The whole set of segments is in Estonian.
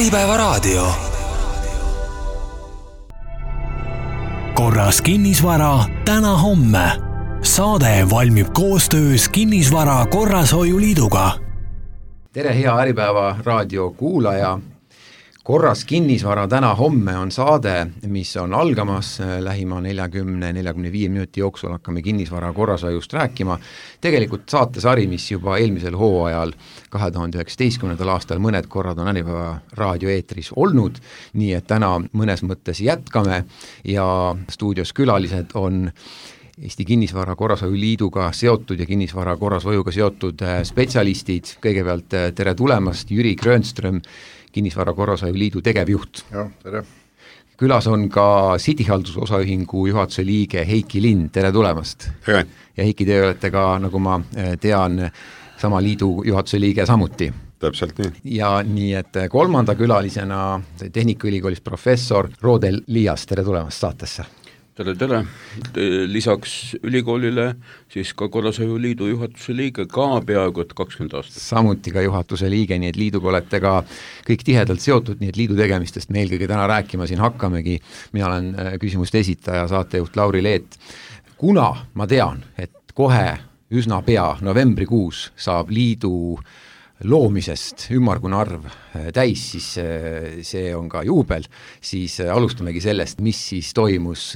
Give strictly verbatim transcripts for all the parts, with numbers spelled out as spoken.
Äripäevaraadio. Korras kinnisvara täna homme. Saade valmib koostöös Kinnisvara Korrashoiuliiduga. Tere, hea Äripäeva raadio kuulaja. Korras kinnisvara täna homme on saade, mis on algamas lähima neljakümne neljakümne viie minuti jooksul hakkame kinnisvara korrashoiust rääkima. Tegelikult saatesari, mis juba eelmisel hooajal kahe tuhande üheksateistkümnendal aastal mõned korrad on Äripäeva raadio eetris olnud, nii et täna mõnes mõttes jätkame ja stuudios külalised on Eesti Kinnisvara Korrashoiuliiduga seotud ja kinnisvara korrashoiuga seotud spetsialistid. Kõigepealt tere tulemast, Jüri Grönström, Kinnisvara Korrashoiuliidu tegevjuht. Ja, tere. Külas on ka Cityhaldusosaühingu juhatuse liige Heiki Lind, tere tulemast. Tere. Ja Heiki, te olete ka, nagu ma tean, sama liidu juhatuse liige samuti. Täpselt nii. Ja nii, et kolmanda külalisena Tehnikaülikoolis professor Roodel Liias, tere tulemast saatesse. Tere, tere. Lisaks ülikoolile siis ka Korrashoiuliidu juhatuse liige ka peaaegu kakskümmend aastat. Samuti ka juhatuse liige, nii et liiduga olete ka kõik tihedalt seotud, nii et liidu tegemistest me eelkõige täna rääkima siin hakkamegi. Mina olen küsimuste esitaja, saatejuht Lauri Leet. Kuna ma tean, et kohe üsna pea novembrikuus saab liidu loomisest ümmargune arv täis, siis see on ka juubel, siis alustamegi sellest, mis siis toimus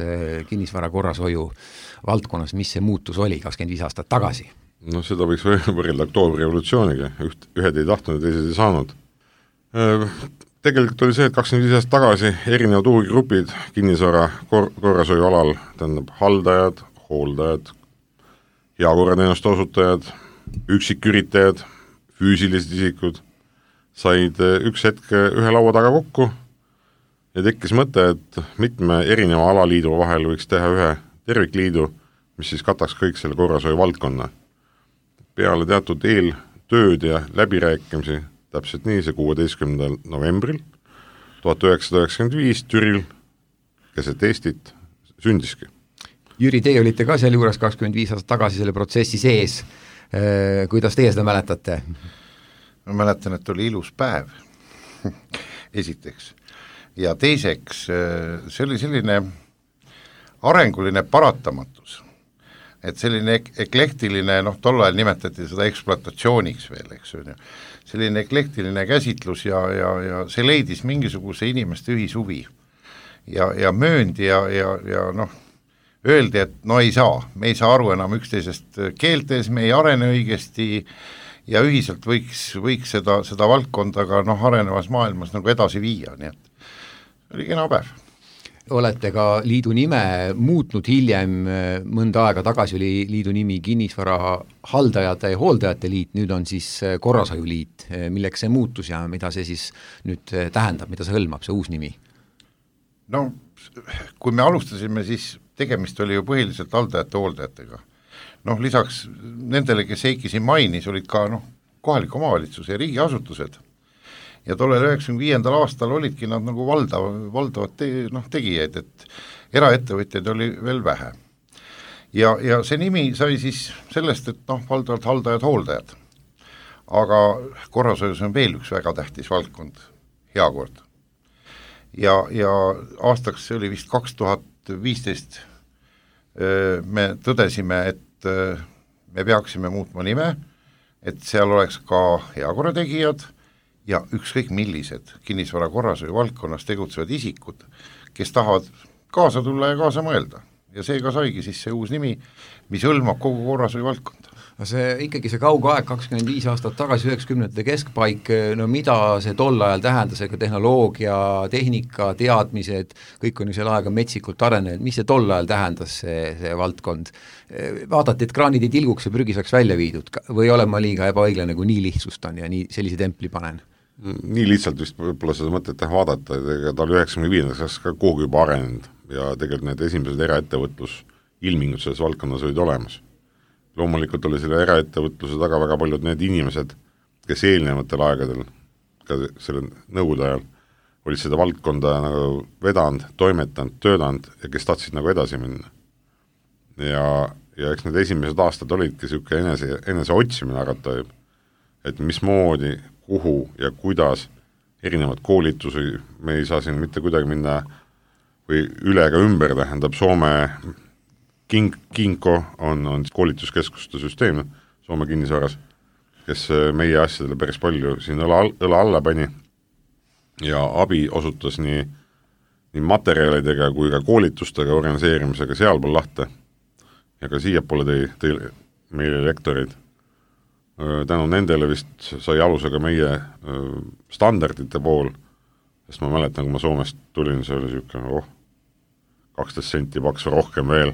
kinnisvara korrashoiu valdkonnas, mis see muutus oli kakskümmend viis aastat tagasi. No seda võiks võrrelda oktoobri revolutsiooniga, Üht, ühed ei tahtnud ja teised ei saanud. Tegelikult oli see, et kakskümmend viis aastat tagasi erinevad huvigrupid kinnisvara kor- korrashoiu alal, tähendab haldajad, hooldajad, heakorrateenuste osutajad, üksiküritajad, füüsilised isikud said üks hetk ühe laua taga kokku ja tekkis mõte, et mitme erineva alaliidu vahel võiks teha ühe tervikliidu, mis siis kataks kõik selle korrashoiu valdkonna. Peale teatud eeltööd ja läbirääkimisi, täpselt nii, see kuueteistkümnendal novembril tuhat üheksasada üheksakümmend viis Türil keset Eestit sündiski. Jüri, teie olite ka seal juures kakskümmend viis aastat tagasi selle protsessi sees. Kuidas teie seda mäletate? Ma mäletan, et oli ilus päev, esiteks. Ja teiseks, see oli selline arenguline paratamatus, et selline eklektiline, noh, tol ajal nimetati seda ekspluatatsiooniks veel, eks on ju, selline eklektiline käsitlus ja, ja, ja see leidis mingisuguse inimeste ühishuvi ja, ja mööndi ja, ja, ja noh, öeldi, et no ei saa, me ei saa aru enam üksteisest keeltes, me ei arene õigesti ja ühiselt võiks, võiks seda, seda valdkonda ka noh, arenevas maailmas nagu edasi viia, nii et oli kena päev. Olete ka liidu nime muutnud hiljem, mõnda aega tagasi oli liidu nimi Kinnisvara haldajate ja hooldajate liit, nüüd on siis Korrashoiuliit, milleks see muutus ja mida see siis nüüd tähendab, mida see hõlmab, see uus nimi? No kui me alustasime, siis tegemist oli ju põhiliselt haldajate hooldajatega. Noh, lisaks nendele, kes Heiki siin mainis, olid ka noh, kohaliku omavalitsuse ja riigiasutused. Ja tollel üheksakümne viiendal aastal olidki nad nagu valdav, valdavad te, noh, tegijaid, et eraettevõtjaid oli veel vähe. Ja, ja see nimi sai siis sellest, et noh, valdavad haldajad hooldajad. Aga korrashoius on veel üks väga tähtis valdkond, heakord. Ja, ja aastaks see oli vist kaks tuhat viisteist me tõdesime, et me peaksime muutma nime, et seal oleks ka heakorrategijad ja ükskõik millised kinnisvara korrashoiu valdkonnas tegutsevad isikud, kes tahavad kaasa tulla ja kaasa mõelda. Ja seega saigi siis see uus nimi, mis hõlmab kogu korrashoiu valdkonda. See ikkagi see kauge aeg kakskümmend viis aastat tagasi üheksakümnendate keskpaik, no mida see tol ajal tähendas, ega tehnoloogia, tehnika, teadmised, kõik on ju selle aega metsikult arenenud, mis see tol ajal tähendas see, see valdkond? Vaadati, et kraanid ei tilguks ja prügi saaks välja viidud või olen ma liiga ebaõiglane, kui nii lihtsustan ja nii sellise templi panen? Nii lihtsalt vist võib-olla seda mõtet teha vaadata, et ta oli üheksakümne viiendaks ka kuhugi juba arenenud ja tegelikult need esimesed eraettevõtlus ilmingud selles valdkonnas olid olemas. Loomulikult oli selle eraettevõtluse taga väga paljud need inimesed, kes eelnevatel aegadel, ka selle nõukogude ajal, olid seda valdkonda nagu vedanud, toimetanud, töödanud ja kes tahtsid nagu edasi minna. Ja, ja eks need esimesed aastad olidki siuke enese, enese otsimine arvata, et mismoodi, kuhu ja kuidas erinevad koolitusi, me ei saa siin mitte kuidagi minna või üle ega ümber, tähendab Soome King, Kinko on, on koolituskeskuste süsteem Soome kinnisvaras, kes meie asjadele päris palju siin õla, õla alla pani ja abi osutas nii, nii materjalidega kui ka koolitustega organiseerimisega sealpool lahte ja ka siiapoole tõi, tõi meile lektorid. Tänu nendele vist sai aluse ka meie standardite pool, sest ma mäletan, kui ma Soomest tulin, see oli niisugune oh, kaksteist senti paksu rohkem veel,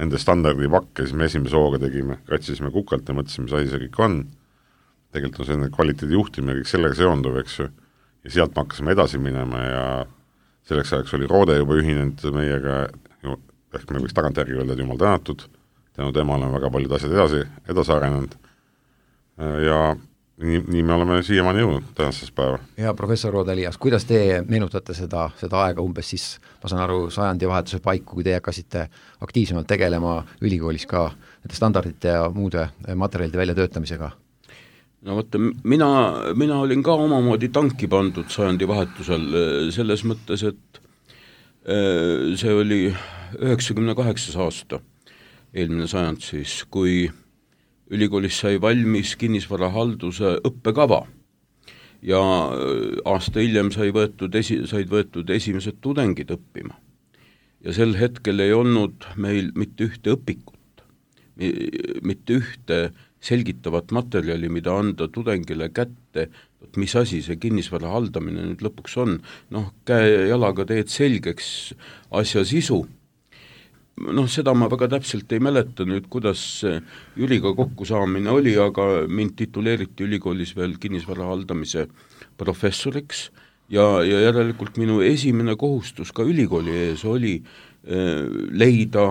nende standardi pakke, siis me esimese hooga tegime, katsisime kukalt ja mõtlesime, mis asi see kõik on. Tegelikult on selline kvaliteedi juhtimine, kõik sellega seonduv, eks ju, ja sealt me hakkasime edasi minema ja selleks ajaks oli Roode juba ühinenud meiega, ehk me võiks tagantjärgi öelda, et jumal tänatud, tänu temale on väga paljud asjad edasi, edasi arenenud ja nii, nii me oleme siiamaani jõudnud tänases päeva. Ja professor Roode Elias, kuidas te meenutate seda, seda aega umbes siis, ma saan aru, sajandi vahetuse paiku, kui te hakkasite aktiivsemalt tegelema ülikoolis ka nende standardite ja muude materjalide väljatöötamisega? No vaata, mina, mina olin ka omamoodi tanki pandud sajandi vahetusel selles mõttes, et see oli üheksakümne kaheksas aasta, eelmine sajand siis, kui ülikoolis sai valmis kinnisvarahalduse õppekava ja aasta hiljem sai võetud esi, said võetud esimesed tudengid õppima. Ja sel hetkel ei olnud meil mitte ühte õpikut, mitte ühte selgitavat materjali, mida anda tudengile kätte, et mis asi see kinnisvara haldamine nüüd lõpuks on. Noh, käe jalaga teed selgeks asja sisu. Noh, seda ma väga täpselt ei mäleta nüüd, kuidas Jüriga kokku saamine oli, aga mind tituleeriti ülikoolis veel kinnisvara haldamise professoriks ja, ja järelikult minu esimene kohustus ka ülikooli ees oli eh, leida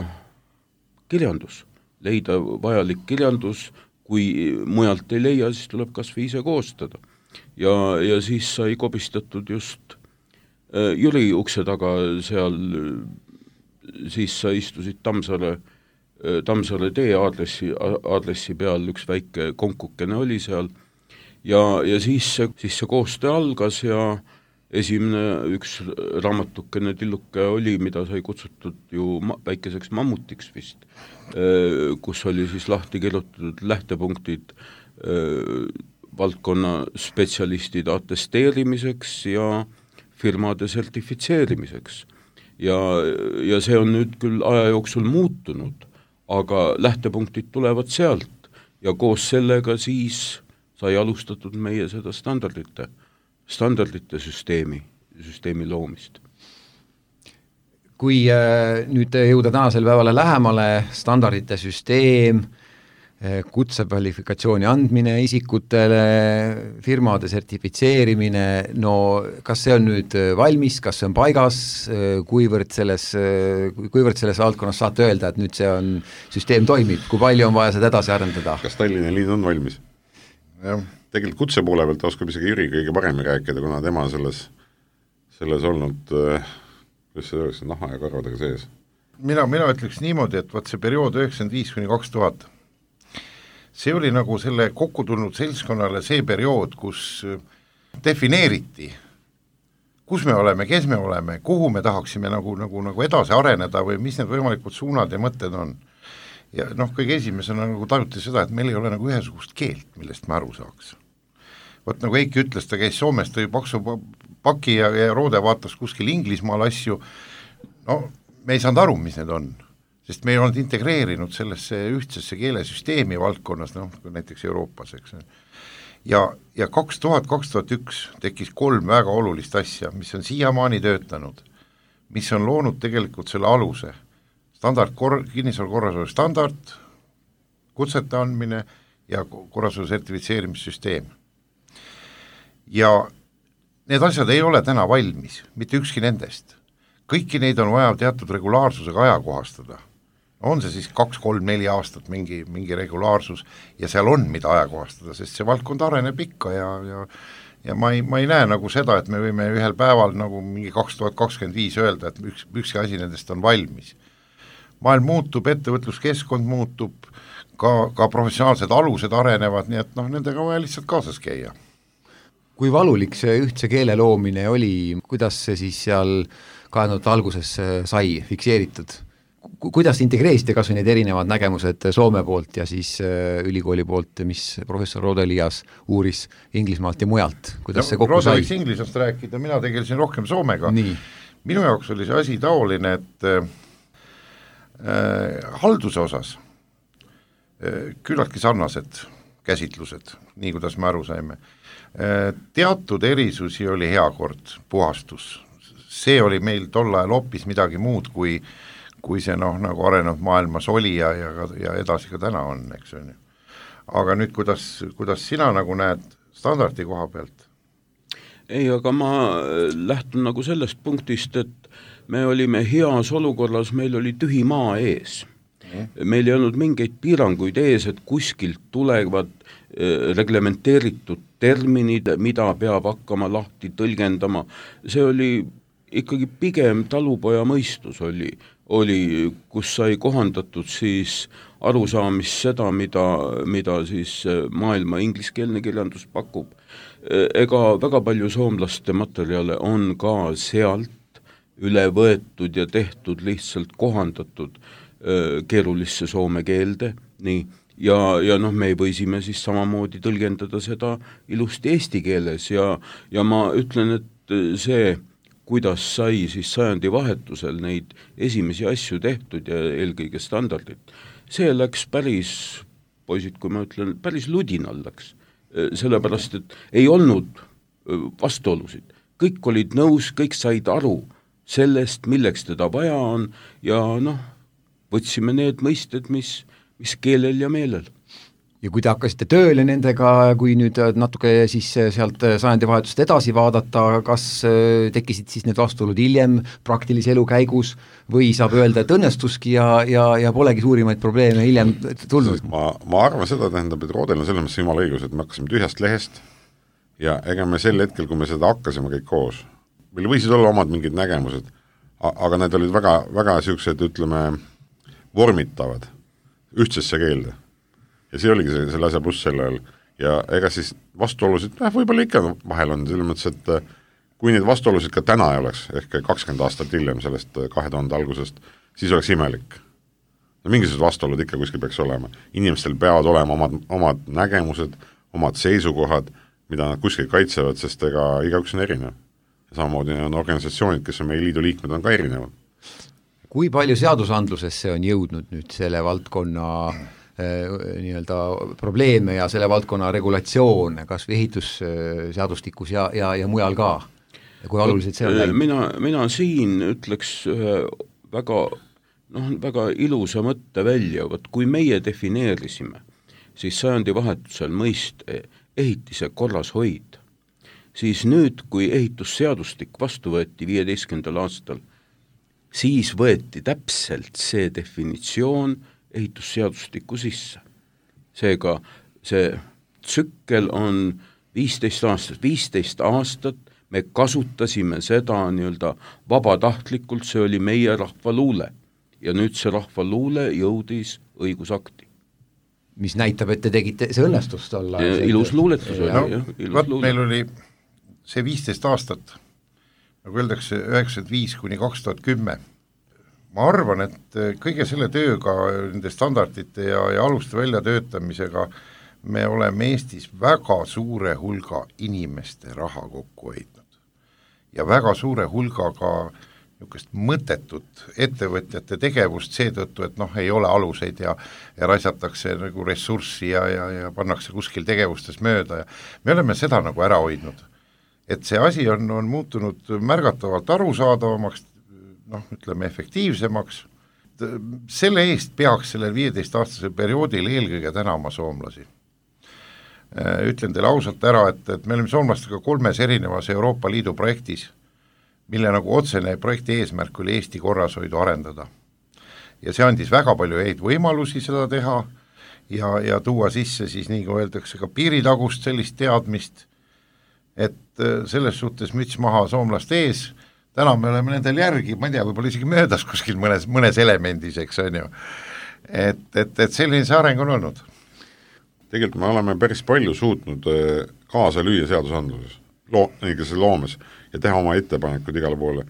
kirjandus, leida vajalik kirjandus, kui mujalt ei leia, siis tuleb kas või ise koostada. Ja, ja siis sai kobistatud just eh, Jüri ukse taga seal siis sa istusid Tammsaare, Tammsaare tee aadressi, aadressi peal, üks väike konkukene oli seal ja, ja siis see, siis see koostöö algas ja esimene üks raamatukene tilluke oli, mida sai kutsutud ju ma, väikeseks mammutiks vist, kus oli siis lahti kirjutatud lähtepunktid valdkonna spetsialistide atesteerimiseks ja firmade sertifitseerimiseks. Ja, ja see on nüüd küll aja jooksul muutunud, aga lähtepunktid tulevad sealt ja koos sellega siis sai alustatud meie seda standardite, standardite süsteemi, süsteemi loomist. Kui äh, nüüd jõuda tänasel päevale lähemale, standardite süsteem, kutsekvalifikatsiooni andmine isikutele, firmade sertifitseerimine, no kas see on nüüd valmis, kas see on paigas, kuivõrd selles, kuivõrd selles valdkonnas saate öelda, et nüüd see on, süsteem toimib, kui palju on vaja seda edasi arendada? Kas Tallinna liin on valmis? Ja. Tegelikult kutse poole pealt oskab isegi Jüri kõige paremini rääkida, kuna tema selles, selles olnud, kuidas see oleks, naha ja karvadega sees. Mina, mina ütleks niimoodi, et vaat see periood üheksakümmend viis kuni kaks tuhat see oli nagu selle kokku tulnud seltskonnale see periood, kus defineeriti, kus me oleme, kes me oleme, kuhu me tahaksime nagu, nagu, nagu edasi areneda või mis need võimalikud suunad ja mõtted on. Ja noh, kõige esimesena nagu tajuti seda, et meil ei ole nagu ühesugust keelt, millest me aru saaks. Vot nagu Eiki ütles, ta käis Soomest, tõi paksu paki ja, ja Roode vaatas kuskil Inglismaal asju, no me ei saanud aru, mis need on. Sest me ei olnud integreerinud sellesse ühtsesse keelesüsteemi valdkonnas, noh, näiteks Euroopas, eks. Ja, ja kaks tuhat, kaks tuhat üks tekkis kolm väga olulist asja, mis on siiamaani töötanud, mis on loonud tegelikult selle aluse. Standard, kor-, kinnisvara korrasolu standard, kutsete andmine ja korrasolu sertifitseerimissüsteem. Ja need asjad ei ole täna valmis, mitte ükski nendest. Kõiki neid on vaja teatud regulaarsusega ajakohastada. On see siis kaks, kolm, neli aastat mingi, mingi regulaarsus ja seal on mida ajakohastada, sest see valdkond areneb ikka ja, ja, ja ma, ei, ma ei näe nagu seda, et me võime ühel päeval nagu mingi kaks tuhat kakskümmend viis öelda, et üks, ükski asi nendest on valmis. Maailm muutub, ettevõtluskeskkond muutub, ka, ka professionaalsed alused arenevad, nii et noh, nendega vaja lihtsalt kaasas käia. kui valulik see ühtse keele loomine oli, kuidas see siis seal kahe tuhande alguses sai fikseeritud? Kuidas integreeriste kas või need erinevad nägemused Soome poolt ja siis ülikooli poolt, mis professor Rode Elias uuris Inglismaalt ja mujalt, kuidas no, see kokku Rode sai? Rode võiks Inglisast rääkida, mina tegelesin rohkem Soomega. Nii. Minu jaoks oli see asi taoline, et äh, halduse osas äh, küllaltki sarnased käsitlused, nii kuidas me aru saime. Äh, teatud erisusi oli hea kord, puhastus. See oli meil tol ajal hoopis midagi muud, kui kui see noh, nagu arenenud maailmas oli ja, ja, ja edasi ka täna on, eks on ju. Aga nüüd, kuidas, kuidas sina nagu näed standardi koha pealt? Ei, aga ma lähtun nagu sellest punktist, et me olime heas olukorras, meil oli tühi maa ees. Mm. Meil ei olnud mingeid piiranguid ees, et kuskilt tulevad äh, reglementeeritud terminid, mida peab hakkama lahti tõlgendama. See oli ikkagi pigem talupoja mõistus oli, oli, kus sai kohandatud siis arusaamist seda, mida, mida siis maailma ingliskeelne kirjandus pakub. Ega väga palju soomlaste materjale on ka sealt üle võetud ja tehtud lihtsalt kohandatud keerulisse soome keelde, nii, ja, ja noh, me võisime siis samamoodi tõlgendada seda ilusti eesti keeles ja, ja ma ütlen, et see kuidas sai siis sajandi vahetusel neid esimesi asju tehtud ja eelkõige standardid. See läks päris, poisid, kui ma ütlen, päris ludinal läks, sellepärast, et ei olnud vastuolusid. Kõik olid nõus, kõik said aru sellest, milleks teda vaja on ja noh, võtsime need mõisted, mis, mis keelel ja meelel. Ja kui te hakkasite tööle nendega, kui nüüd natuke siis sealt sajandi vahetust edasi vaadata, kas tekkisid siis need vastuolud hiljem praktilise elu käigus või saab öelda, et õnnestuski ja, ja, ja polegi suurimaid probleeme hiljem tulnud? Ma, ma arvan seda, tähendab, et Roodel on selles mõttes jumala õigus, et me hakkasime tühjast lehest ja ega me sel hetkel, kui me seda hakkasime kõik koos, meil võisid olla omad mingid nägemused, aga need olid väga, väga siuksed, ütleme, vormitavad ühtsesse keelde. Ja see oligi see, selle asja pluss selle ajal. Ja ega siis vastuolusid, eh, võib-olla ikka vahel on, selles mõttes, et kui neid vastuolusid ka täna ei oleks, ehk kakskümmend aastat hiljem sellest kahe tuhande algusest, siis oleks imelik. No mingisugused vastuolud ikka kuskil peaks olema. Inimestel peavad olema omad, omad nägemused, omad seisukohad, mida nad kuskil kaitsevad, sest ega igaüks on erinev. Ja samamoodi on organisatsioonid, kes on meie liidu liikmed, on ka erinevad. Kui palju seadusandlusesse on jõudnud nüüd selle valdkonna nii-öelda probleeme ja selle valdkonna regulatsioone, kas või ehitusseadustikus ja, ja, ja mujal ka? Ja kui oluliselt see on läinud? Mina, mina siin ütleks väga, noh, väga ilusa mõtte välja, võt, kui meie defineerisime, siis sajandi vahetusel mõist ehitise korras hoid, siis nüüd, kui ehitusseadustik vastu võeti viieteistkümnendal aastal, siis võeti täpselt see definitsioon ehitusseadustiku sisse. Seega see tsükkel on viisteist aastat, viisteist aastat me kasutasime seda nii-öelda vabatahtlikult, see oli meie rahvaluule ja nüüd see rahvaluule jõudis õigusakti. Mis näitab, et te tegite, see õnnestust olla. Ilus luuletus oli. No, ilus vaat luuletus. Meil oli see viisteist aastat, nagu öeldakse, üheksakümmend viis kuni kaks tuhat kümme. Ma arvan, et kõige selle tööga, nende standardite ja, ja aluste väljatöötamisega me oleme Eestis väga suure hulga inimeste raha kokku hoidnud. Ja väga suure hulga ka niisugust mõttetut ettevõtjate tegevust seetõttu, et noh, ei ole aluseid ja, ja raisatakse nagu ressurssi ja, ja, ja pannakse kuskil tegevustes mööda. Ja me oleme seda nagu ära hoidnud. Et see asi on, on muutunud märgatavalt arusaadavamaks, noh, ütleme efektiivsemaks. Selle eest peaks sellel viieteist-aastasel perioodil eelkõige tänama soomlasi. Ütlen teile ausalt ära, et, et me oleme soomlastega kolmes erinevas Euroopa Liidu projektis, mille nagu otsene projekti eesmärk oli Eesti korrashoidu arendada. Ja see andis väga palju häid võimalusi seda teha ja, ja tuua sisse siis, nii kui öeldakse, ka piiritagust sellist teadmist, et selles suhtes müts maha soomlaste ees. Täna me oleme nendel järgi, ma ei tea, võib-olla isegi möödas kuskil mõnes, mõnes elemendis, eks on ju. Et, et, et selline see areng on olnud. Tegelikult me oleme päris palju suutnud kaasa lüüa seadusandluses. loo, loomes ja teha oma ettepanekud igale poole.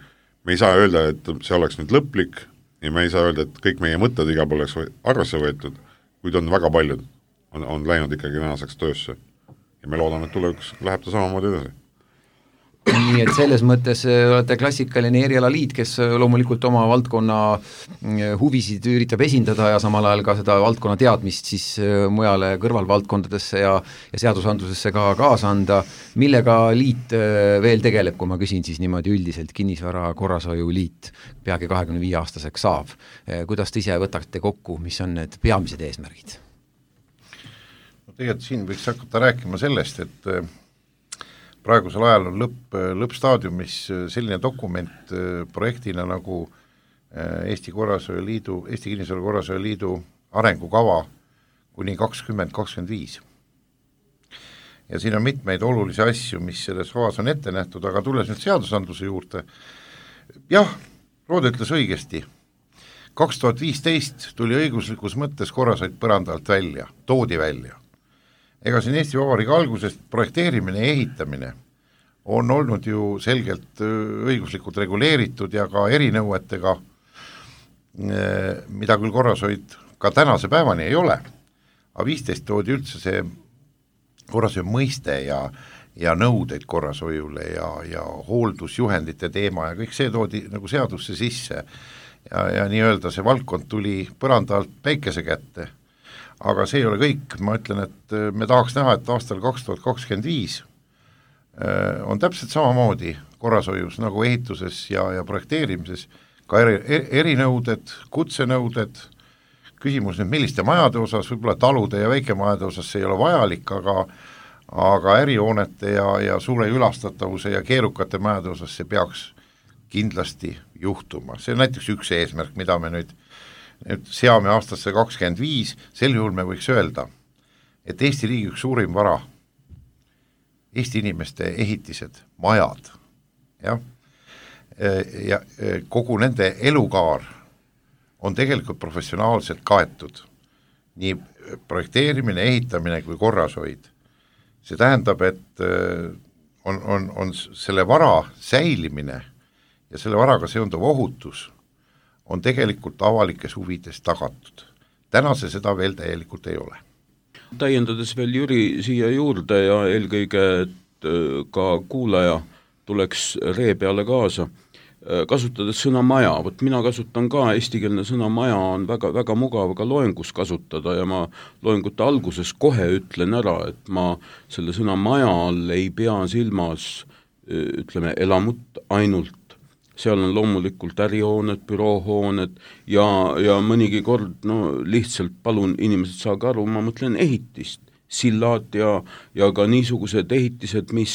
Me ei saa öelda, et see oleks nüüd lõplik ja me ei saa öelda, et kõik meie mõtted igal poole oleks arvesse võetud, kuid on väga paljud, on, on läinud ikkagi tänaseks töösse. Ja me loodame, et tulevikus läheb ta samamoodi edasi. Nii et selles mõttes olete klassikaline erialaliit, kes loomulikult oma valdkonna huvisid üritab esindada ja samal ajal ka seda valdkonna teadmist siis mujale kõrvalvaldkondadesse ja, ja seadusandlusesse ka kaasa anda. Millega liit veel tegeleb, kui ma küsin siis niimoodi üldiselt, kinnisvara korrashoiu liit peagi kahekümne viie aastaseks saab. Kuidas te ise võtate kokku, mis on need peamised eesmärgid? No tegelikult siin võiks hakata rääkima sellest, et praegusel ajal on lõpp, lõppstaadiumis selline dokument projektina nagu Eesti Korrashoiu Liidu, Eesti Kinnisvara Korrashoiu Liidu arengukava kuni kakskümmend kakskümmend viis. Ja siin on mitmeid olulisi asju, mis selles kavas on ette nähtud, aga tulles nüüd seadusandluse juurde, jah, Roode ütles õigesti, kaks tuhat viisteist tuli õiguslikus mõttes korrashoid põrandalt välja, toodi välja. Ega siin Eesti Vabariigi algusest projekteerimine ja ehitamine on olnud ju selgelt õiguslikult reguleeritud ja ka erinõuetega, mida küll korrashoid ka tänase päevani ei ole, aga viisteist toodi üldse see korrashoiu mõiste ja, ja nõudeid korrashoiule ja, ja hooldusjuhendite teema ja kõik see toodi nagu seadusse sisse ja, ja nii-öelda see valdkond tuli põrandalt päikese kätte. Aga see ei ole kõik, ma ütlen, et me tahaks näha, et aastal kaks tuhat kakskümmend viis on täpselt samamoodi korrashoius nagu ehituses ja, ja projekteerimises ka eri, erinõuded, kutsenõuded, küsimus nüüd milliste majade osas, võib-olla talude ja väikemajade osas see ei ole vajalik, aga, aga ärihoonete ja, ja suure ülastatavuse ja keerukate majade osas see peaks kindlasti juhtuma. See on näiteks üks eesmärk, mida me nüüd nüüd seame aastasse kakskümmend viis, sel juhul me võiks öelda, et Eesti riigi üks suurim vara, Eesti inimeste ehitised, majad, jah, ja kogu nende elukaar on tegelikult professionaalselt kaetud, nii projekteerimine, ehitamine kui korrashoid. See tähendab, et on, on, on selle vara säilimine ja selle varaga seonduv ohutus on tegelikult avalikes huvides tagatud. Täna see seda veel täielikult ei ole. Täiendades veel Jüri siia juurde ja eelkõige, et ka kuulaja tuleks ree peale kaasa, kasutades sõna maja, võt mina kasutan ka, eestikeelne sõna maja on väga, väga mugav ka loengus kasutada ja ma loengute alguses kohe ütlen ära, et ma selle sõna maja all ei pea silmas, ütleme, elamut ainult, seal on loomulikult ärihooned, büroohooned ja, ja mõnigi kord, no lihtsalt palun inimesed saage aru, ma mõtlen ehitist, sillad ja, ja ka niisugused ehitised, mis,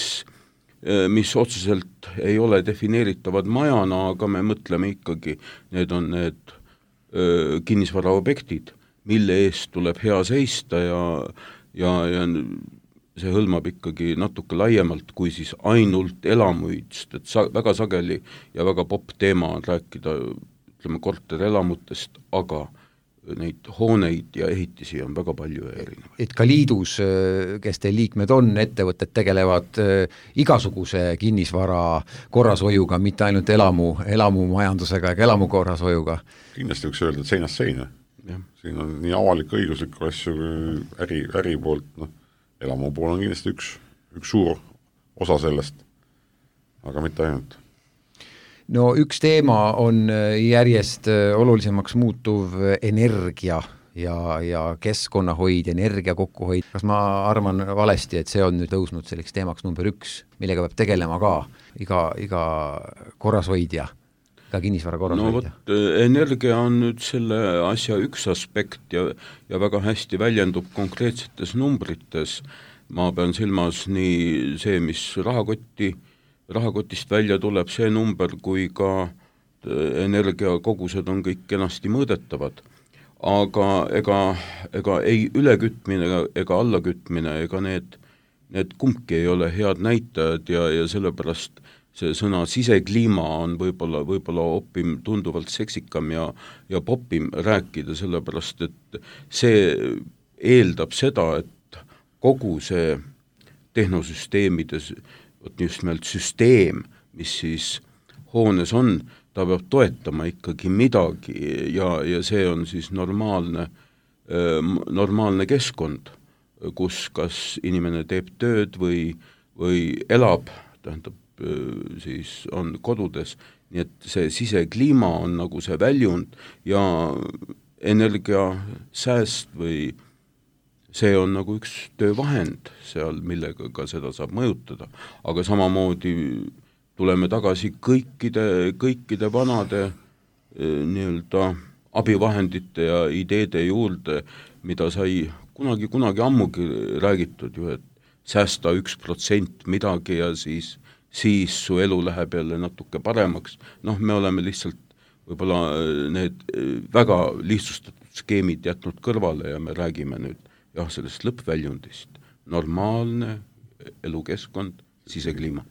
mis otseselt ei ole defineeritavad majana, aga me mõtleme ikkagi, need on need öö, kinnisvaraobjektid, mille eest tuleb hea seista ja, ja, ja see hõlmab ikkagi natuke laiemalt kui siis ainult elamuid, sest et sa, väga sageli ja väga popp teema on rääkida, ütleme, korterelamutest, aga neid hooneid ja ehitisi on väga palju erinevaid. Et ka liidus, kes teil liikmed on, ettevõtted tegelevad igasuguse kinnisvara korrashoiuga, mitte ainult elamu, elamumajandusega ega elamu korrashoiuga. Kindlasti võiks öelda, et seinast seina. Ja. Siin on nii avalik õiguslik asju äri, äri poolt, noh, elamu pool on kindlasti üks, üks suur osa sellest, aga mitte ainult. No üks teema on järjest olulisemaks muutuv energia ja, ja keskkonnahoid, energia kokkuhoid. Kas ma arvan valesti, et see on nüüd tõusnud selleks teemaks number üks, millega peab tegelema ka iga, iga korrashoidja, ka kinnisvara korrashoidja? No vot, energia on nüüd selle asja üks aspekt ja, ja väga hästi väljendub konkreetsetes numbrites. Ma pean silmas nii see, mis rahakotti rahakotist välja tuleb see number, kui ka energiakogused on kõik kenasti mõõdetavad. Aga ega, ega ei ülekütmine ega, ega allakütmine, ega need, need kumbki ei ole head näitajad ja, ja sellepärast see sõna sisekliima on võib-olla, võib-olla opim tunduvalt seksikam ja, ja popim rääkida, sellepärast et see eeldab seda, et kogu see tehnosüsteemides vot just nimelt süsteem, mis siis hoones on, ta peab toetama ikkagi midagi ja, ja see on siis normaalne, normaalne keskkond, kus kas inimene teeb tööd või, või elab, tähendab, siis on kodudes, nii et see sisekliima on nagu see väljund ja energiasääst või see on nagu üks töövahend seal, millega ka seda saab mõjutada, aga samamoodi tuleme tagasi kõikide, kõikide vanade nii-öelda abivahendite ja ideede juurde, mida sai kunagi, kunagi ammugi räägitud ju, et säästa üks protsent midagi ja siis, siis su elu läheb jälle natuke paremaks. Noh, me oleme lihtsalt võib-olla need väga lihtsustatud skeemid jätnud kõrvale ja me räägime nüüd jah, sellest lõppväljundist. Normaalne elukeskkond, sisekliima.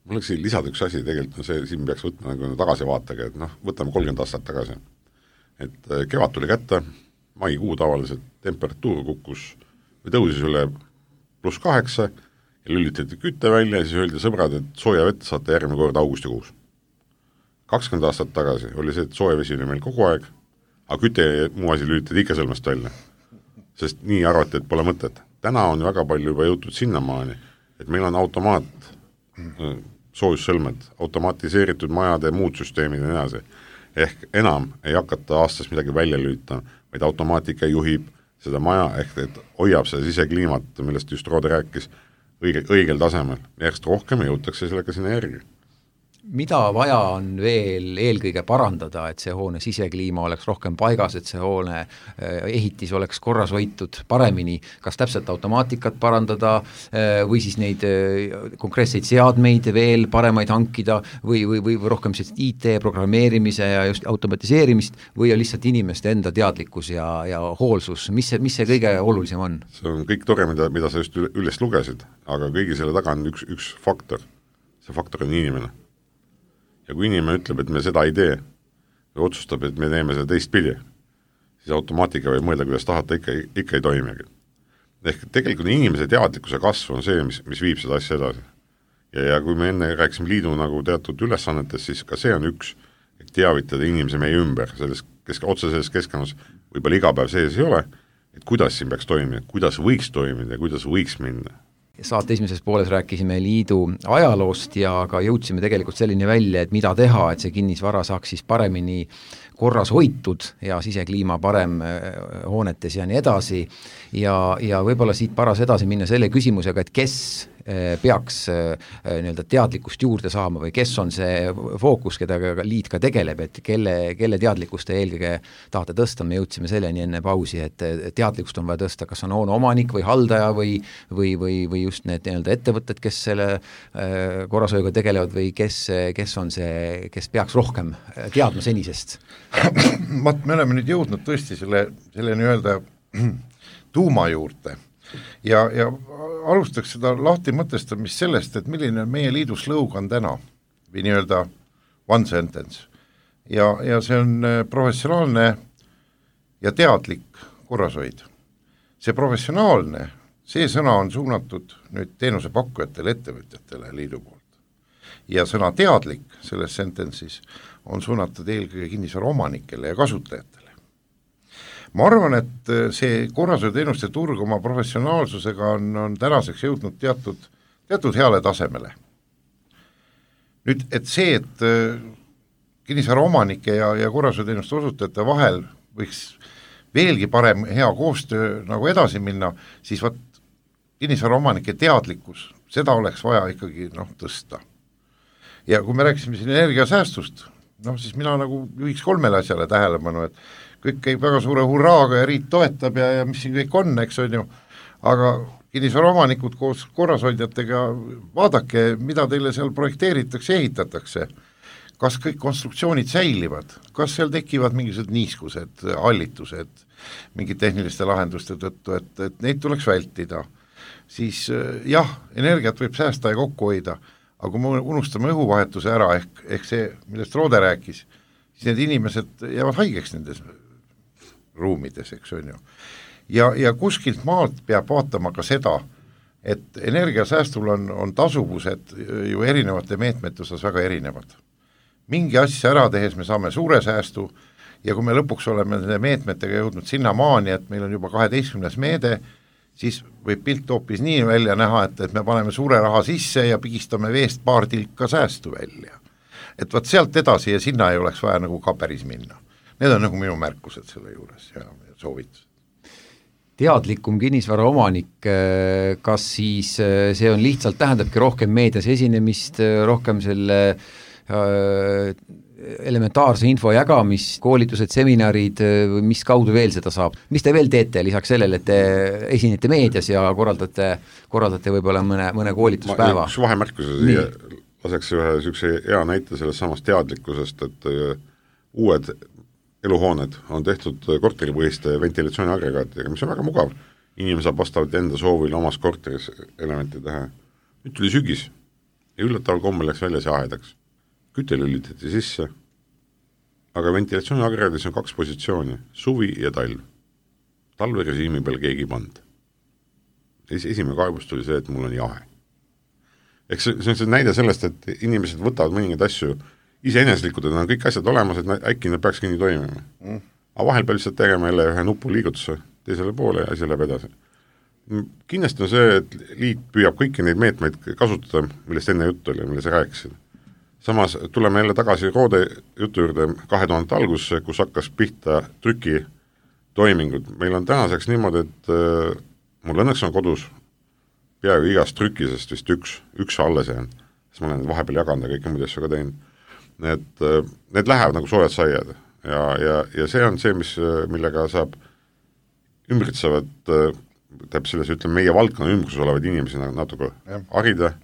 Mul oleks siin lisada üks asi, tegelikult on see, siin peaks võtma nagu tagasivaatega, et noh, võtame kolmkümmend aastat tagasi. Et kevad tuli kätte, maikuu tavaliselt temperatuur kukkus või tõusis üle pluss kaheksa ja lülitati kütte välja ja siis öeldi sõbrad, et sooja vett saate järgmine kord augustikuus. kakskümmend aastat tagasi oli see, et sooja vesi oli meil kogu aeg, aga küte muu asi lülitati ikka sõlmest välja, sest nii arvati, et pole mõtet. Täna on väga palju juba jõutud sinnamaani, et meil on automaat, soojussõlmed, automatiseeritud majade muud süsteemid ja nii edasi. Ehk enam ei hakata aastas midagi välja lülitama, vaid automaatika juhib seda maja, ehk et hoiab seda sisekliimat, millest just Roode rääkis, õige, õigel tasemel. Järjest rohkem jõutakse sellega sinna järgi. Mida vaja on veel eelkõige parandada, et see hoone sisekliima oleks rohkem paigas, et see hoone ehitis oleks korras hoitud paremini, kas täpselt automaatikat parandada või siis neid konkreetseid seadmeid veel paremaid hankida või, või, või rohkem I T programmeerimise ja just automatiseerimist või on lihtsalt inimeste enda teadlikkus ja, ja hoolsus, mis see, mis see kõige olulisem on? See on kõik tore, mida, mida sa just üles lugesid, aga kõigi selle taga on üks, üks faktor. See faktor on inimene. Ja kui inimene ütleb, et me seda ei tee või otsustab, et me teeme seda teistpidi, siis automaatika võib mõelda, kuidas tahata, ikka, ikka ei toimigi. Ehk tegelikult inimese teadlikkuse kasv on see, mis, mis viib seda asja edasi. Ja, ja kui me enne rääksime liidu nagu teatud ülesannetes, siis ka see on üks, et teavitada inimese meie ümber, selles kesk, otse selles keskkonnas võib-olla iga päev sees ei ole, et kuidas siin peaks toimida, kuidas võiks toimida ja kuidas võiks minna. Saate esimeses pooles rääkisime liidu ajaloost ja ka jõudsime tegelikult selline välja, et mida teha, et see kinnisvara saaks siis paremini korras hoitud ja sisekliima parem hoonetes ja nii edasi ja, ja võib-olla siit paras edasi minna selle küsimusega, et kes peaks nii-öelda teadlikkust juurde saama või kes on see fookus, keda liit ka tegeleb, et kelle, kelle teadlikkust te eelkõige tahate tõsta, me jõudsime selleni enne pausi, et teadlikkust on vaja tõsta, kas on hoone omanik või haldaja või, või, või, või just need nii-öelda ettevõtted, kes selle korrashoiuga tegelevad või kes, kes on see, kes peaks rohkem teadma senisest? Mat, me oleme nüüd jõudnud tõesti selle, selle nii-öelda tuuma juurde ja, ja alustaks seda lahti mõtestamist sellest, et milline on meie liidu slogan täna või nii-öelda one sentence ja, ja see on professionaalne ja teadlik korrashoid. See professionaalne, see sõna on suunatud nüüd teenusepakkujatele, ettevõtjatele liidu poolt ja sõna teadlik selles sentence'is on suunatud eelkõige kinnisvara omanikele ja kasutajatele. Ma arvan, et see korrashoiuteenuste turg oma professionaalsusega on, on tänaseks jõudnud teatud, teatud heale tasemele. Nüüd, et see, et kinnisvara omanike ja, ja korrashoiuteenuste osutajate vahel võiks veelgi parem hea koostöö nagu edasi minna, siis vaat kinnisvara omanike teadlikkus, seda oleks vaja ikkagi noh, tõsta. Ja kui me rääkisime siin energiasäästust, noh siis mina nagu juhiks kolmele asjale tähelepanu, et kõik käib väga suure hurraaga ja riit toetab ja, ja mis siin kõik on, eks on ju, aga kinnisvara omanikud koos korrashoidjatega, vaadake, mida teile seal projekteeritakse, ehitatakse, kas kõik konstruktsioonid säilivad, kas seal tekivad mingisugused niiskused, hallitused, mingid tehniliste lahenduste tõttu, et, et neid tuleks vältida, siis jah, energiat võib säästa ja kokku hoida, aga kui me unustame õhuvahetuse ära, ehk, ehk see, millest Roode rääkis, siis need inimesed jäävad haigeks nendes ruumides, eks on ju. Ja, ja kuskilt maalt peab vaatama ka seda, et energiasäästul on, on tasuvused ju erinevate meetmete osas väga erinevad. Mingi asja ära tehes me saame suure säästu ja kui me lõpuks oleme nende meetmetega jõudnud sinna maani, et meil on juba kaheteistkümnes meede, siis võib pilt hoopis nii välja näha, et, et me paneme suure raha sisse ja pigistame veest paar tilka säästu välja. Et vaat sealt edasi ja sinna ei oleks vaja nagu ka päris minna. Need on nagu minu märkused selle juures ja soovitus. Teadlikum kinnisvara omanik, kas siis see on lihtsalt, tähendabki rohkem meedias esinemist, rohkem selle äh, elementaarse info jagamist, koolitused, seminarid, mis kaudu veel seda saab? Mis te veel teete lisaks sellele, et te esinete meedias ja korraldate, korraldate võib-olla mõne, mõne koolituspäeva? Üks vahemärkuse siia laseks ühe sükse hea näite sellest samast teadlikkusest, et uued eluhooned on tehtud korteripõhiste ventilatsiooniagregaatidega, mis on väga mugav. Inimene saab vastavalt enda soovil omas korteris elementi teha. Nüüd tuli sügis ja üllataval kommel läks välja see ahedaks. Küte lülitati sisse, aga ventilatsiooniagregaadis on kaks positsiooni, suvi ja talv. Talverežiimi peal keegi pand. Esimene kaebus tuli see, et mul on jahe. Eks see on see näide sellest, et inimesed võtavad mõningaid asju iseeneslikud, et on kõik asjad olemas, et äkki nad peakski nii toimima. Mm. Aga vahel peab lihtsalt tegema jälle ühe nupu liigutuse teisele poole ja asi läheb edasi. Kindlasti on see, et liit püüab kõiki neid meetmeid kasutada, millest enne juttu oli, mille sa rääkisid. Samas tuleme jälle tagasi Roode jutu juurde kahe tuhande algusse, kus hakkas pihta trüki toimingud. Meil on tänaseks niimoodi, et äh, mul õnneks on kodus peaaegu igast trükisest vist üks, üks alles jäänud, sest ma olen vahepeal jaganud ja kõike muud asju ka teinud. Need, need lähevad nagu soojad saiad ja, ja, ja see on see, mis, millega saab ümbritsevad, täpselt selles ütleme, meie valdkonna ümbruses olevad inimesi natuke harida,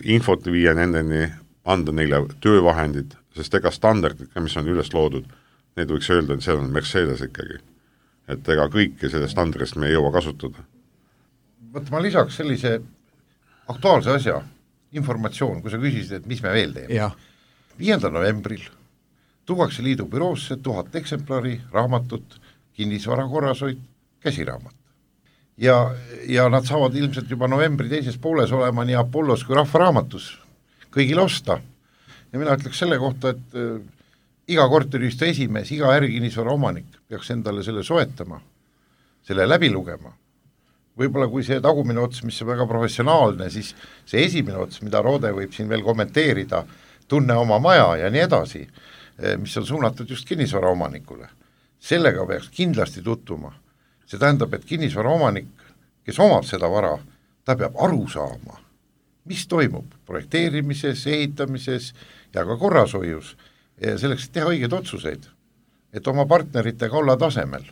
infot viia nendeni, anda neile töövahendid, sest ega standardid, mis on üles loodud, need võiks öelda, et see on Mercedes ikkagi. Et ega kõike selle standardist me ei jõua kasutada. Võt ma lisaks sellise aktuaalse asja, informatsioon, kui sa küsisid, et mis me veel teeme. Jah. viiendal novembril tuuakse liidu büroosse tuhat eksemplari raamatut, kinnisvara korrashoid, käsiraamat. Ja, ja nad saavad ilmselt juba novembri teises pooles olema nii Apollos kui Rahvaraamatus kõigil osta. Ja mina ütleks selle kohta, et äh, iga korteriühistu esimees, iga ärikinnisvara omanik peaks endale selle soetama, selle läbi lugema. Võib-olla kui see tagumine ots, mis on väga professionaalne, siis see esimene ots, mida Roode võib siin veel kommenteerida, tunne oma maja ja nii edasi, mis on suunatud just kinnisvara omanikule. Sellega peaks kindlasti tuttuma. See tähendab, et kinnisvara omanik, kes omab seda vara, ta peab aru saama, mis toimub projekteerimises, ehitamises ja ka korrashoius, selleks teha õiged otsuseid, et oma partneritega olla tasemel.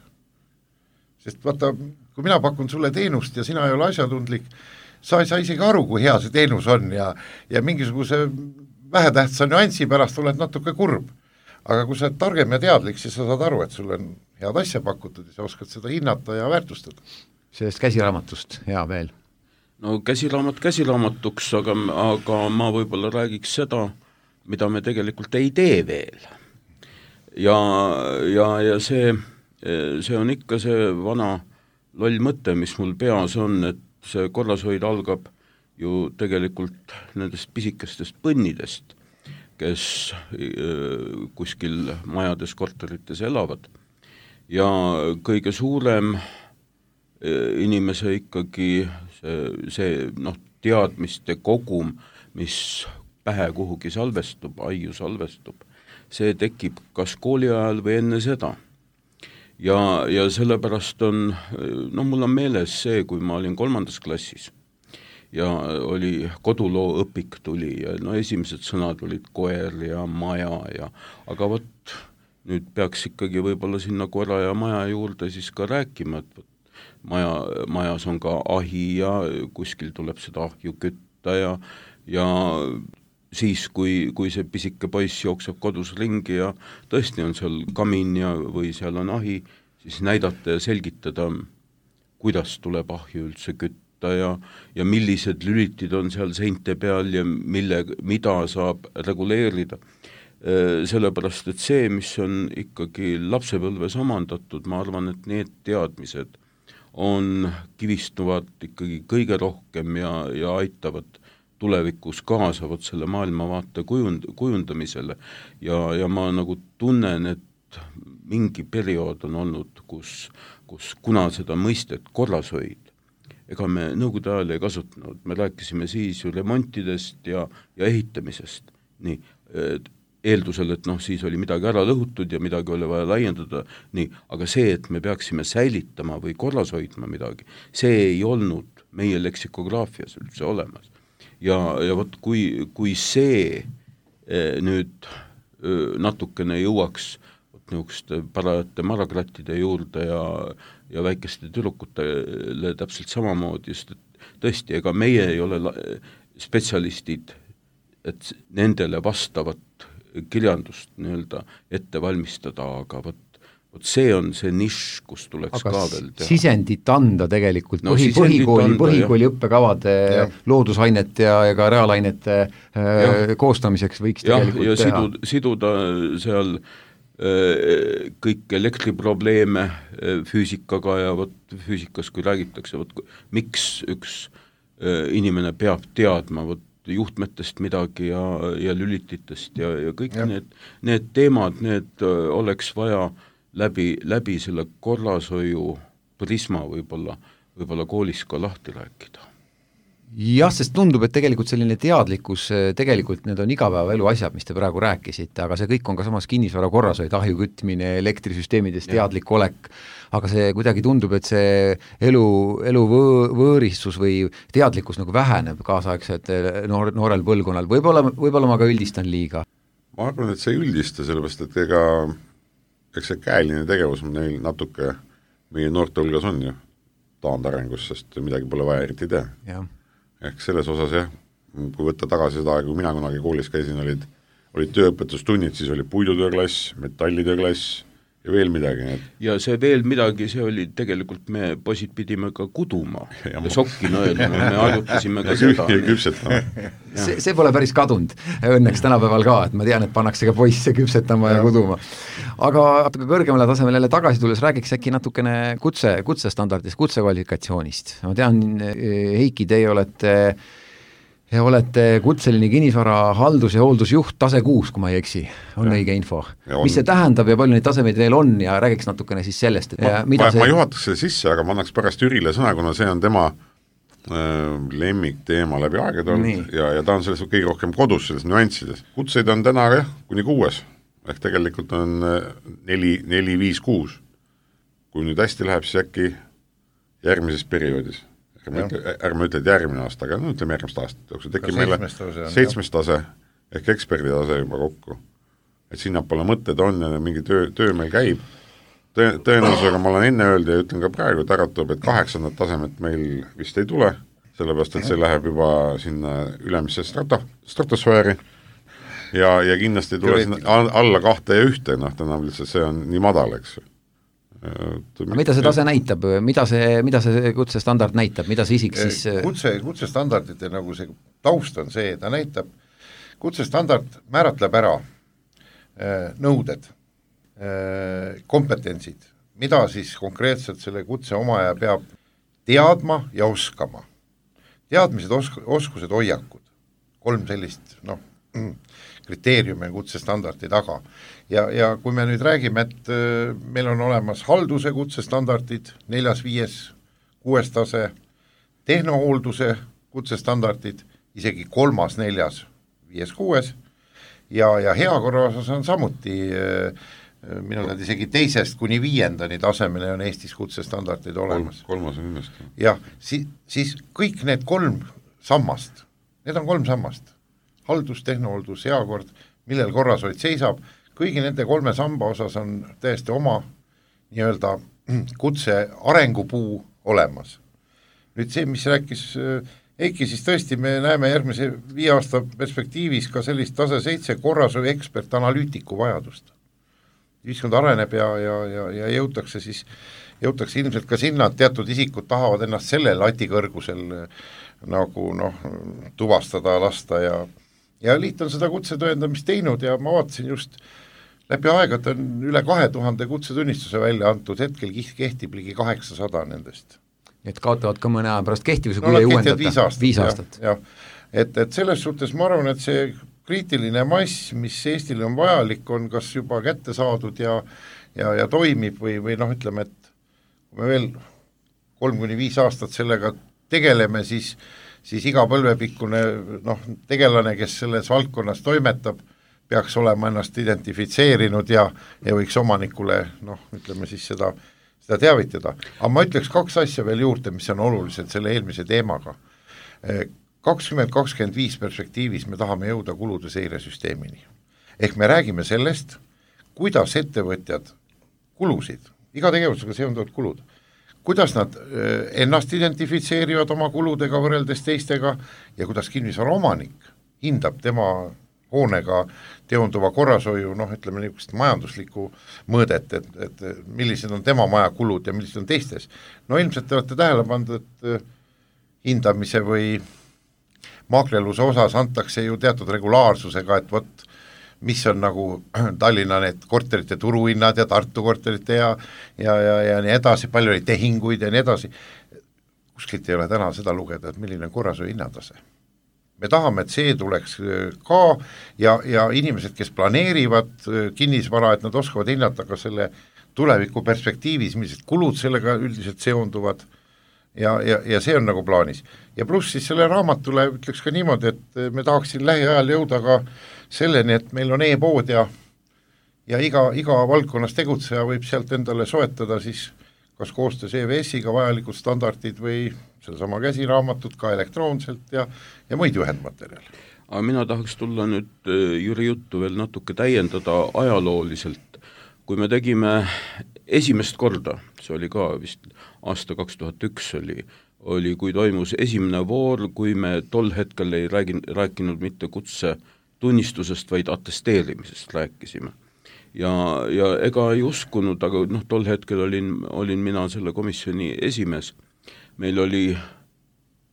Sest vaata, kui mina pakun sulle teenust ja sina ei ole asjatundlik, sa ei saa isegi aru, kui hea see teenus on ja, ja mingisuguse vähetähtsa nüansi pärast oled natuke kurb. Aga kui sa oled targem ja teadlik, siis sa saad aru, et sul on head asja pakutud ja sa oskad seda hinnata ja väärtustada. Sellest käsiraamatust, hea veel. No käsiraamat käsiraamatuks, aga, aga ma võib-olla räägiks seda, mida me tegelikult ei tee veel. Ja, ja, ja see, see on ikka see vana loll mõte, mis mul peas on, et see korrashoid algab ju tegelikult nendest pisikestest põnnidest, kes kuskil majades, korterites elavad. Ja kõige suurem inimese ikkagi see, see noh, teadmiste kogum, mis pähe kuhugi salvestub, aiu salvestub, see tekib kas kooli ajal või enne seda. Ja, ja sellepärast on, no mul on meeles see, kui ma olin kolmandas klassis, ja oli koduloo õpik tuli ja no esimesed sõnad olid koer ja maja ja aga võt, nüüd peaks ikkagi võib-olla sinna koera ja maja juurde siis ka rääkima, et võt, maja, majas on ka ahi ja kuskil tuleb seda ahju kütta ja, ja siis, kui, kui see pisike poiss jookseb kodus ringi ja tõesti on seal kamin ja, või seal on ahi, siis näidata ja selgitada, kuidas tuleb ahju üldse kütta ja, ja millised lülitid on seal seinte peal ja mille, mida saab reguleerida. Sellepärast, et see, mis on ikkagi lapsepõlves omandatud, ma arvan, et need teadmised on, kivistuvad ikkagi kõige rohkem ja, ja aitavad tulevikus kaasavad selle maailmavaate kujund, kujundamisele ja, ja ma nagu tunnen, et mingi periood on olnud, kus, kus kuna seda mõistet korrashoid, ega me nõukogude ajal ei kasutanud, me rääkisime siis ju remontidest ja, ja ehitamisest, nii, eeldusel, et noh, siis oli midagi ära lõhutud ja midagi oli vaja laiendada, nii, aga see, et me peaksime säilitama või korras hoidma midagi, see ei olnud meie leksikograafias üldse olemas. Ja, ja võt, kui, kui see eh, nüüd eh, natukene jõuaks niisuguste parajate marakrattide juurde ja, ja väikeste tüdrukutele täpselt samamoodi, just et tõesti, ega meie ei ole spetsialistid, et nendele vastavat kirjandust nii-öelda ette valmistada, aga võt, võt see on see nišš, kus tuleks aga ka veel teha. Sisendit anda tegelikult no, põhi, põhikooli, anda, põhikooli õppekavade ja. Loodusainete ja, ja ka reaalainete ja. Koostamiseks võiks ja, tegelikult ja teha. Sidu, siduda seal kõik elektriprobleeme füüsikaga ja võt füüsikas, kui räägitakse, võt miks üks inimene peab teadma võt juhtmetest midagi ja, ja lülititest ja, ja kõik ja. Need, need teemad, need oleks vaja läbi, läbi selle korrashoiu prisma võib-olla, võib-olla koolis ka lahti rääkida. Jah, sest tundub, et tegelikult selline teadlikkus, tegelikult need on igapäevaelu asjad, mis te praegu rääkisite, aga see kõik on ka samas kinnisvara korrashoid, ahju kütmine, elektrisüsteemides teadlik olek, aga see kuidagi tundub, et see elu, elu võõ, võõristus või teadlikkus nagu väheneb kaasaegset noor, noorel põlvkonnal, võib-olla, võib-olla ma ka üldistan liiga. Ma arvan, et see ei üldista, sellepärast, et ega eks see käeline tegevus neil natuke meie noorte hulgas on ju taandarengus, sest midagi pole vaja eriti teha. Jah. Ehk selles osas jah, kui võtta tagasi seda, kui mina kunagi koolis käisin, olid, olid tööõpetustunnid, siis oli puidutööklass, metallitööklass ja veel midagi. Et... ja see veel midagi, see oli tegelikult, me poisid pidime ka kuduma ja, ja ma... sokki nõelma, me arutasime ka seda. Ja küpsetama. see, see pole päris kadunud, õnneks tänapäeval ka, et ma tean, et pannakse ka poisse küpsetama ja, ja kuduma. Aga natuke kõrgemale tasemele jälle tagasi tulles räägiks äkki natukene kutse, kutsestandardist, kutsekvalifikatsioonist. Ma tean, Heiki, teie olete Ja olete kutseline kinnisvara haldus- ja hooldusjuht tase kuus, kui ma ei eksi, on ja. Õige info. Mis see tähendab ja palju neid tasemeid veel on ja räägiks natukene siis sellest, et ma, mida ma, see... ma juhataks selle sisse, aga ma annaks pärast Ürile sõna, kuna see on tema äh, lemmikteema läbi aegade olnud ja, ja ta on selles kõige rohkem kodus, selles nüanssides. Kutseid on täna jah, kuni kuues, ehk tegelikult on neli, neli, viis, kuus. Kui nüüd hästi läheb, siis äkki järgmises perioodis. ärme ütle, ärme ütle, et järgmine aasta, aga no ütleme järgmist aastat, jooksul tekib meile seitsmes tase ehk eksperditase juba kokku. Et sinnapoole mõtted on ja mingi töö, töö meil käib. Tõe, tõenäosusega ma olen enne öeldi ja ütlen ka praegu, et äratab, et kaheksandat tasemet meil vist ei tule, sellepärast, et see läheb juba sinna ülemisse strato, stratosfääri ja, ja kindlasti ei tule sinna alla kahte ja ühte, noh, täna lihtsalt see on nii madal, eks ju. Aga mida see tase näitab, mida see, mida see kutsestandard näitab, mida see isik siis kutse, kutsestandardite nagu see taust on see, ta näitab, kutsestandard määratleb ära nõuded, kompetentsid, mida siis konkreetselt selle kutse omaja peab teadma ja oskama. Teadmised, osk-, oskused, hoiakud, kolm sellist noh, kriteeriumi on kutsestandardi taga. Ja, ja kui me nüüd räägime, et meil on olemas halduse kutsestandardid, neljas, viies, kuues tase, tehnohoolduse kutsestandardid, isegi kolmas, neljas, viies, kuues, ja, ja heakorra osas on samuti, minu tead isegi teisest kuni viiendani tasemele on Eestis kutsestandardid olemas. Kolm, kolmas on ilmest. Ja si, siis kõik need kolm sammast, need on kolm sammast, haldus, tehnohooldus, heakord, millel korrashoid seisab, kõigi nende kolme samba osas on täiesti oma nii-öelda kutse arengupuu olemas. Nüüd see, mis rääkis Eiki, siis tõesti me näeme järgmise viie aasta perspektiivis ka sellist tase seitse korrashoiu ekspert analüütiku vajadust. Ühiskond areneb ja, ja, ja, ja jõutakse siis, jõutakse ilmselt ka sinna, et teatud isikud tahavad ennast selle lati kõrgusel nagu noh, tuvastada, lasta ja ja liit on seda kutsetõendamist teinud ja ma vaatasin just läbi aegad on üle kahe tuhande kutsetunnistuse välja antud, hetkel kehtib ligi kaheksasada nendest. et kaotavad ka mõne aja pärast kehtivuse, kui no, ei uuendata. viis aastat, viis aastat. jah, et, et selles suhtes ma arvan, et see kriitiline mass, mis Eestile on vajalik, on kas juba kätte saadud ja, ja, ja toimib või, või noh, ütleme, et kui me veel kolm kuni viis aastat sellega tegeleme, siis, siis iga põlvepikkune noh, tegelane, kes selles valdkonnas toimetab, peaks olema ennast identifitseerinud ja, ja võiks omanikule noh, ütleme siis seda, seda teavitada. Aga ma ütleks kaks asja veel juurde, mis on olulised selle eelmise teemaga. kakskümmend kakskümmend viis perspektiivis me tahame jõuda kulude seiresüsteemini. Ehk me räägime sellest, kuidas ettevõtjad kulusid, iga tegevusega seonduvad kulud, kuidas nad ennast identifitseerivad oma kuludega võrreldes teistega ja kuidas kinnisvara omanik hindab tema hoonega teonduva korrashoiu, noh ütleme niisugust majanduslikku mõõdet, et, et millised on tema maja kulud ja millised on teistes. No ilmselt te olete tähele pandud, et hindamise või maakleluse osas antakse ju teatud regulaarsusega, et vot mis on nagu Tallinna need korterite turuhinnad ja Tartu korterite ja, ja, ja, ja nii edasi, palju oli tehinguid ja nii edasi. Kuskilt ei ole täna seda lugeda, et milline on korrashoiu hinnatase. Me tahame, et see tuleks ka ja, ja inimesed, kes planeerivad kinnisvara, et nad oskavad hinnata ka selle tuleviku perspektiivis, millised kulud sellega üldiselt seonduvad ja, ja, ja see on nagu plaanis. Ja pluss siis selle raamatule ütleks ka niimoodi, et me tahaksin lähiajal jõuda ka selleni, et meil on e-pood ja, ja iga, iga valdkonnas tegutseja võib sealt endale soetada siis kas koostöös E V S-iga vajalikud standardid või sellesama käsiraamatut ka elektroonselt ja, ja muid juhendmaterjale. Aga mina tahaks tulla nüüd Jüri juttu veel natuke täiendada ajalooliselt. Kui me tegime esimest korda, see oli ka vist aasta kaks tuhat üks oli, oli, kui toimus esimene voor, kui me tol hetkel ei räägin, rääkinud mitte kutse tunnistusest, vaid attesteerimisest rääkisime. Ja, ja ega ei uskunud, aga noh, tol hetkel olin, olin mina selle komisjoni esimees. Meil oli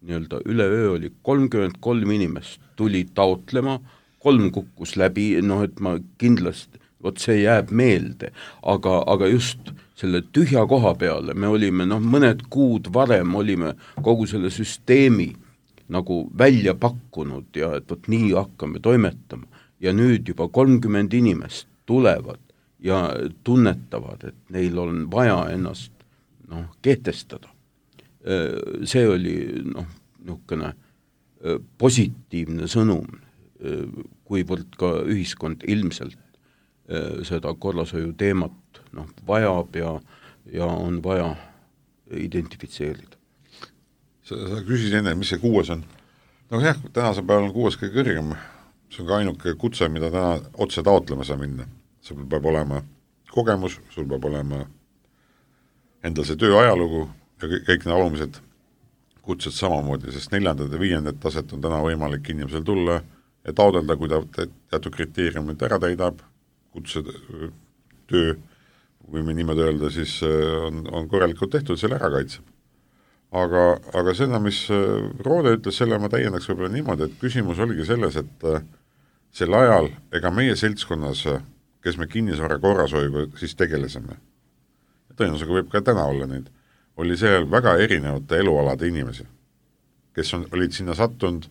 nii-öelda üleöö oli kolmkümmend kolm inimest tuli taotlema, kolm kukkus läbi, noh et ma kindlasti, vot see jääb meelde, aga, aga just selle tühja koha peale me olime, noh mõned kuud varem olime kogu selle süsteemi nagu välja pakkunud ja et vot nii hakkame toimetama ja nüüd juba kolmkümmend inimest tulevad ja tunnetavad, et neil on vaja ennast noh, kehtestada. See oli noh, niisugune positiivne sõnum, kuivõrd ka ühiskond ilmselt seda korrashoiu teemat noh, vajab ja, ja on vaja identifitseerida. Sa, sa küsisid enne, mis see kuues on? No jah, tänase päeval on kuues kõige kõrgem. See on ka ainuke kutse, mida täna otse taotlema saa minna. Sul peab olema kogemus, sul peab olema endal see töö ajalugu ja kõik need olulised kutsed samamoodi, sest neljandad ja viiendad taset on täna võimalik inimesel tulla ja taodelda, kui ta teatud kriteeriumid ära täidab, kutse töö, kui me niimoodi öelda, siis on, on korralikult tehtud, selle ära kaitseb. Aga, aga seda, mis Roode ütles, selle ma täiendaks võib-olla niimoodi, et küsimus oligi selles, et sel ajal ega meie seltskonnas, kes me kinnisvara korrashoiuga siis tegelesime, tõenäosusega võib ka täna olla neid, oli seal väga erinevate elualade inimesi, kes on, olid sinna sattunud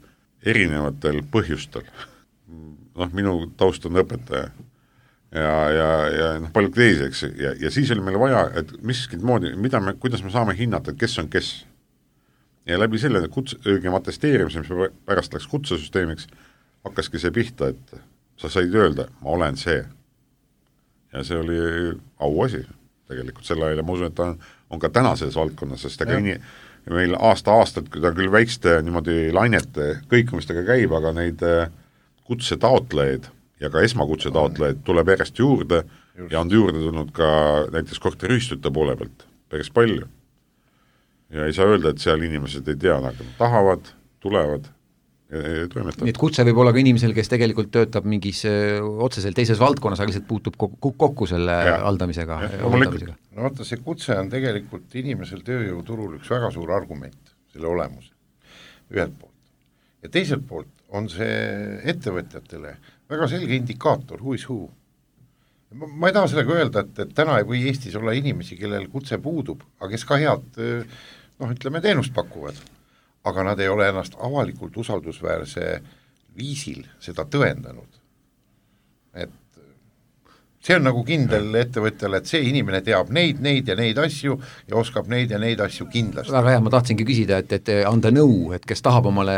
erinevatel põhjustel. Noh, minu taust on õpetaja ja, ja, ja noh, palju teiseks ja, ja siis oli meil vaja, et miskit moodi, mida me, kuidas me saame hinnata, et kes on kes. Ja läbi selle kuts, õigem atesteerimise, mis pärast läks kutsesüsteemiks, hakkaski see pihta, et sa said öelda, ma olen see. Ja see oli auasi tegelikult selle ajal ja ma usun, et ta on, on ka tänases valdkonnas, sest aga ini, meil aasta-aastat, kui ta küll väikste niimoodi lainete kõikumistega käib, aga neid kutse taotlejaid ja ka esmakutse taotlejaid tuleb järjest juurde Just. Ja on juurde tulnud ka näiteks korteriühistute poole pealt päris palju. Ja ei saa öelda, et seal inimesed ei tea, aga tahavad, tulevad nii et kutse võib olla ka inimesel, kes tegelikult töötab mingis öö, otseselt teises valdkonnas, aga lihtsalt puutub kokku, kokku selle ja. haldamisega. No vaata, see kutse on tegelikult inimesel tööjõuturul üks väga suur argument, selle olemus, ühelt poolt. Ja teiselt poolt on see ettevõtjatele väga selge indikaator, who is who. Ma, ma ei taha sellega öelda, et, et täna ei või Eestis olla inimesi, kellel kutse puudub, aga kes ka head öö, noh, ütleme teenust pakuvad, aga nad ei ole ennast avalikult usaldusväärse viisil seda tõendanud. Et see on nagu kindel ettevõtjale, et see inimene teab neid, neid ja neid asju ja oskab neid ja neid asju kindlasti. Väga hea, ma tahtsingi küsida, et, et anda nõu, et kes tahab omale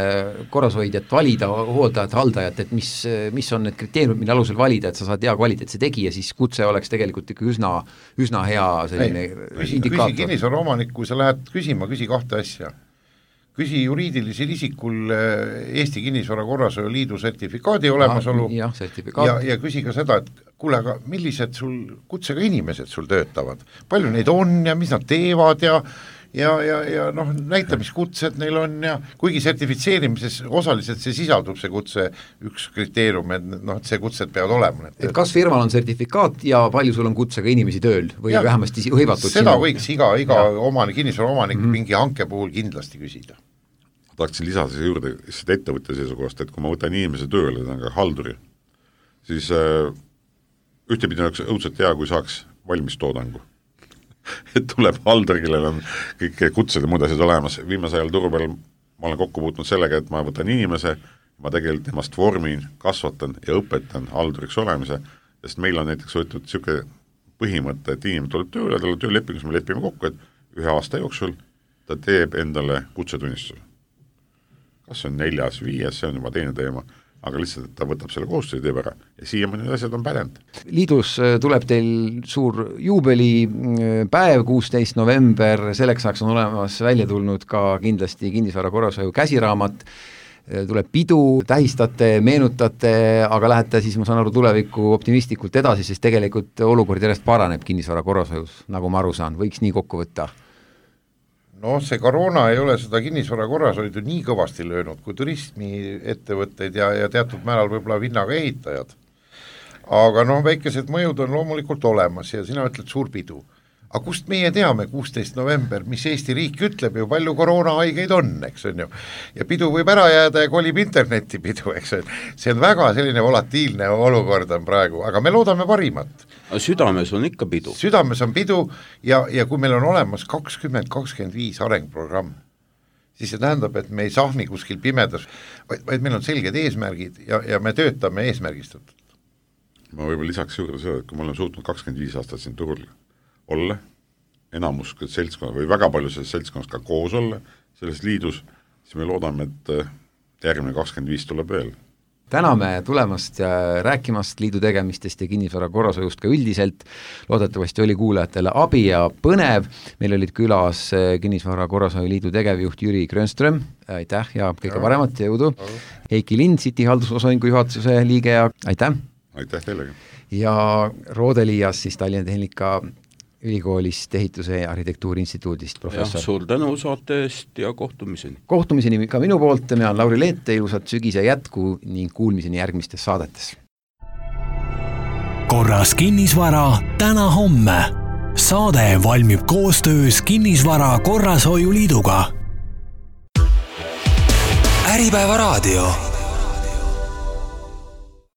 korrashoidjat valida, hooldajat, haldajat, et mis, mis on need kriteeriumid, mille alusel valida, et sa saad hea kvaliteetse tegi ja siis kutse oleks tegelikult ikka üsna, üsna hea selline Ei, küsi, indikaator. Küsi kinnisvara omanik, kui sa lähed küsima, küsi kahte asja. Küsi juriidilisel isikul Eesti Kinnisvara Korrashoiu Liidu sertifikaadi olemasolu ja, sertifikaat. ja, ja küsi ka seda, et kuule, aga millised sul kutsega inimesed sul töötavad, palju neid on ja mis nad teevad ja ja, ja, ja noh, näita, mis kutsed neil on ja kuigi sertifitseerimises osaliselt see sisaldub, see kutse üks kriteerium, et noh, et see kutsed peavad olema. Et kas firmal on sertifikaat ja palju sul on kutsega inimesi tööl või ja, vähemasti hõivatud seda sinu? Võiks iga, iga omanik, kinnisvara omanik mm -hmm. mingi hanke puhul kindlasti küsida. Ma tahaksin lisada see juurde seda ettevõtja seisukohast, et kui ma võtan inimese tööle, ta on ka halduri, siis äh, ühtepidi oleks õudselt hea, kui saaks valmis toodangu. Et tuleb haldur, kellel on kõik kutsed ja muud asjad olemas. Viimase ajal turu peal ma olen kokku puutnud sellega, et ma võtan inimese, ma tegelikult temast vormin, kasvatan ja õpetan halduriks olemise, sest meil on näiteks võetud niisugune põhimõte, et inimene tuleb tööle, talle töölepingus me lepime kokku, et ühe aasta jooksul ta teeb endale kutsetunnistuse. Kas see on neljas, viies, see on juba teine teema, aga lihtsalt, et ta võtab selle kohustuse ja teeb ära. Ja siiamaani need asjad on pädend. Liidus tuleb teil suur juubelipäev, kuusteist november, selleks saaks on olemas välja tulnud ka kindlasti kinnisvara korrashoiu käsiraamat, tuleb pidu, tähistate, meenutate, aga lähete siis, ma saan aru, tuleviku optimistlikult edasi, sest tegelikult olukord järjest paraneb kinnisvara korrashoius, nagu ma aru saan, võiks nii kokku võtta. No see koroona ei ole seda kinnisvara korrashoidu nii kõvasti löönud kui turismi ettevõtteid ja, ja teatud määral võib-olla vinnaga ehitajad. Aga noh, väikesed mõjud on loomulikult olemas ja sina ütled suur pidu. Aga kust meie teame kuusteist november, mis Eesti riik ütleb ju, palju koroonahaigeid on, eks on ju. Ja pidu võib ära jääda ja kolib interneti pidu, eks on. See on väga selline volatiilne olukord on praegu, aga me loodame parimat. Südames on ikka pidu. Südames on pidu ja, ja kui meil on olemas kakskümmend kakskümmend viis arengprogramm, siis see tähendab, et me ei sahmi kuskil pimedas, vaid, vaid meil on selged eesmärgid ja, ja me töötame eesmärgistatult. Ma võib-olla lisaks juurde seda, et kui me oleme suutnud kakskümmend viis aastat siin turul olla, enamus seltskonna või väga palju selles seltskonnas ka koos olla selles liidus, siis me loodame, et järgmine kakskümmend viis tuleb veel. Täname tulemast ja rääkimast liidu tegemistest ja kinnisvara korrashoiust ka üldiselt. Loodetavasti oli kuulajatele abi ja põnev. Meil olid külas kinnisvara korrashoiu liidu tegevjuht Jüri Grönström. Aitäh ja kõige ja. paremat ja jõudu. Heiki Lind, City haldusosaühingu juhatuse liige ja aitäh. Aitäh teilegi. Ja Roodelias siis Tallinna Tehnika ülikoolist ehituse ja arhitektuuri instituudist professor. Ja, suur tänu saate eest ja kohtumiseni. Kohtumiseni ka minu poolt, mina olen Lauri Leete, ilusat sügise jätku ning kuulmiseni järgmistes saadetes. Korras kinnisvara täna homme. Saade valmib koostöös Kinnisvara Korrashoiu Liiduga. Äripäeva raadio.